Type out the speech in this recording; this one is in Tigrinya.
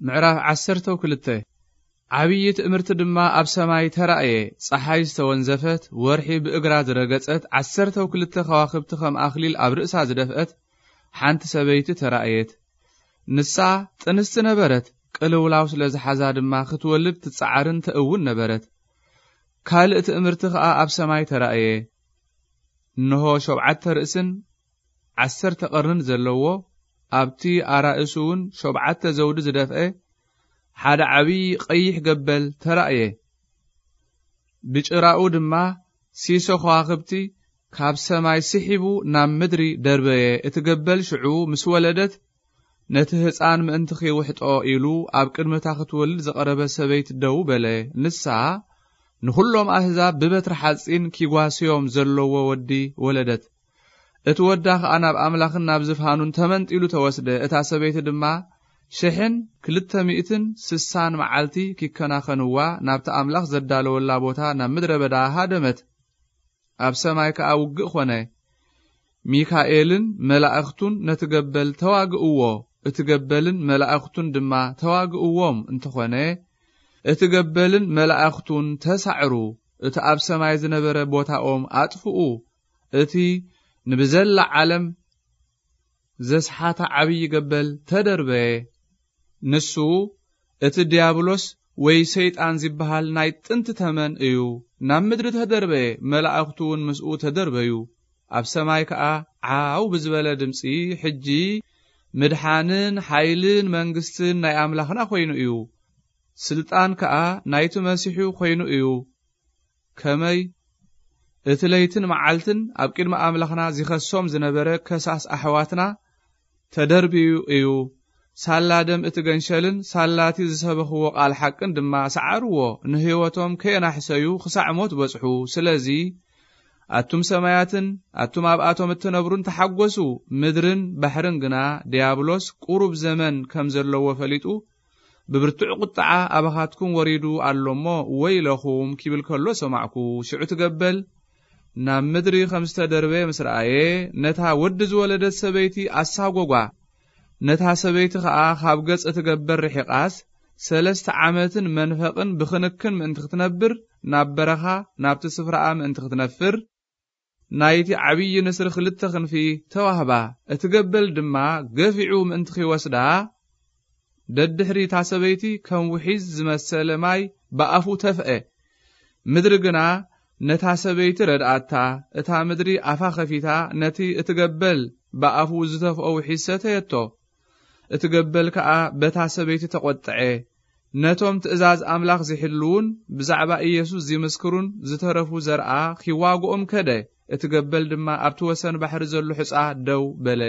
ምዕራፍ ዓሰርተው ክልተ። ዓብዪ ትእምርቲ ድማ ኣብ ሰማይ ተራእየ። ጸሓይ ዝተወንዘፈት፣ ወርሒ ብእግራ ዝረገጸት፣ ዓሰርተው ክልተ ከዋኽብቲ ከም ኣኽሊል ኣብ ርእሳ ዝደፍአት ሓንቲ ሰበይቲ ተራእየት። ንሳ ጥንስቲ ነበረት፣ ቅልውላው ስለ ዝሓዛ ድማ ክትወልድ ትጸዓርን ተእውን ነበረት። ካልእ ትእምርቲ ኸኣ ኣብ ሰማይ ተራእየ። እንሆ ሸውዓተ ርእስን ዓሰርተ ቀርንን ዘለዎ፣ ኣብቲ ኣራእሱ እውን ሸውዓተ ዘውዲ ዝደፍአ ሓደ ዓብዪ ቀይሕ ገበል ተራእየ። ብጭራኡ ድማ ሲሶ ከዋኽብቲ ካብ ሰማይ ስሒቡ ናብ ምድሪ ደርበየ። እቲ ገበል ሽዑ ምስ ወለደት፣ ነቲ ህፃን ምእንቲ ኺውሕጦ ኢሉ ኣብ ቅድሚ እታ ክትወልድ ዝቐረበ ሰበይቲ ደው በለ። ንሳ ንኹሎም ኣህዛብ ብበትሪ ሓፂን ኪጓስዮም ዘለዎ ወዲ ወለደት። እቲ ወዳ ኸኣ ናብ ኣምላኽን ናብ ዝፋኑን ተመንጢሉ ተወስደ። እታ ሰበይቲ ድማ ሽሕን ክልተ ሚእትን ስሳን መዓልቲ ኪከናኸንዋ ናብቲ ኣምላኽ ዘዳለወላ ቦታ ናብ ምድረ በዳ ሃደመት። ኣብ ሰማይ ከኣ ውግእ ኾነ። ሚካኤልን መላእኽቱን ነቲ ገበል ተዋግእዎ፣ እቲ ገበልን መላእኽቱን ድማ ተዋግእዎም። እንተኾነ እቲ ገበልን መላእኽቱን ተሳዕሩ፣ እቲ ኣብ ሰማይ ዝነበረ ቦታኦም ኣጥፍኡ። እቲ ንብዘላ ዓለም ዘስሓተ ዓብዪ ገበል ተደርበየ። ንሱ እቲ ዲያብሎስ ወይ ሰይጣን ዝበሃል ናይ ጥንቲ ተመን እዩ። ናብ ምድሪ ተደርበየ፣ መላእኽቱ እውን ምስኡ ተደርበዩ። ኣብ ሰማይ ከኣ ዓው ብዝበለ ድምፂ፣ ሕጂ ምድሓንን ሓይልን መንግስትን ናይ ኣምላኽና ኮይኑ እዩ፣ ስልጣን ከኣ ናይቲ መሲሑ ኮይኑ እዩ። ከመይ እቲ ለይትን መዓልትን ኣብ ቅድሚ ኣምላኽና ዚኸሶም ዝነበረ ከሳስ ኣሕዋትና ተደርብዩ እዩ። ሳላ ደም እቲ ገንሸልን ሳላ እቲ ዝሰበኽዎ ቃል ሓቅን ድማ ሰዓርዎ፣ ንህይወቶም ከየናሕሰዩ ክሳዕ ሞት በጽሑ። ስለዚ ኣቱም ሰማያትን ኣቱም ኣብኣቶም እትነብሩን ተሓጎሱ፣ ምድርን ባሕርን ግና ድያብሎስ ቁሩብ ዘመን ከም ዘለዎ ፈሊጡ ብብርቱዕ ቁጥዓ ኣባኻትኩም ወሪዱ ኣሎ እሞ ወይለኹም ኪብል ከሎ ሰማዕኩ። ሽዑ እቲ ገበል ናብ ምድሪ ከም ዝተደርበየ ምስ ረኣየ፣ ነታ ወዲ ዝወለደት ሰበይቲ ኣሳጎጓ። ነታ ሰበይቲ ኸኣ ካብ ገጽ እቲ ገበል ርሒቓስ፣ ሰለስተ ዓመትን መንፈቕን ብኽንክን ምእንቲ ክትነብር፣ ናብ በረኻ ናብቲ ስፍራኣ ምእንቲ ክትነፍር፣ ናይቲ ዓብዪ ንስሪ ክልተ ክንፊ ተዋህባ። እቲ ገበል ድማ ገፊዑ ምእንቲ ኺወስዳ፣ ደድሕሪ እታ ሰበይቲ ከም ውሒዝ ዝመሰለ ማይ ብኣፉ ተፍአ። ምድሪ ግና ነታ ሰበይቲ ረድኣታ። እታ ምድሪ ኣፋ ኸፊታ ነቲ እቲ ገበል ብኣፉ ዝተፍኦ ውሒዝ ሰተየቶ። እቲ ገበል ከኣ በታ ሰበይቲ ተቖጥዐ። ነቶም ትእዛዝ ኣምላኽ ዚሕልዉን ብዛዕባ ኢየሱስ ዚምስክሩን ዝተረፉ ዘርኣ ኺዋግኦም ከደ። እቲ ገበል ድማ ኣብቲ ወሰን ባሕሪ ዘሎ ሑጻ ደው በለ።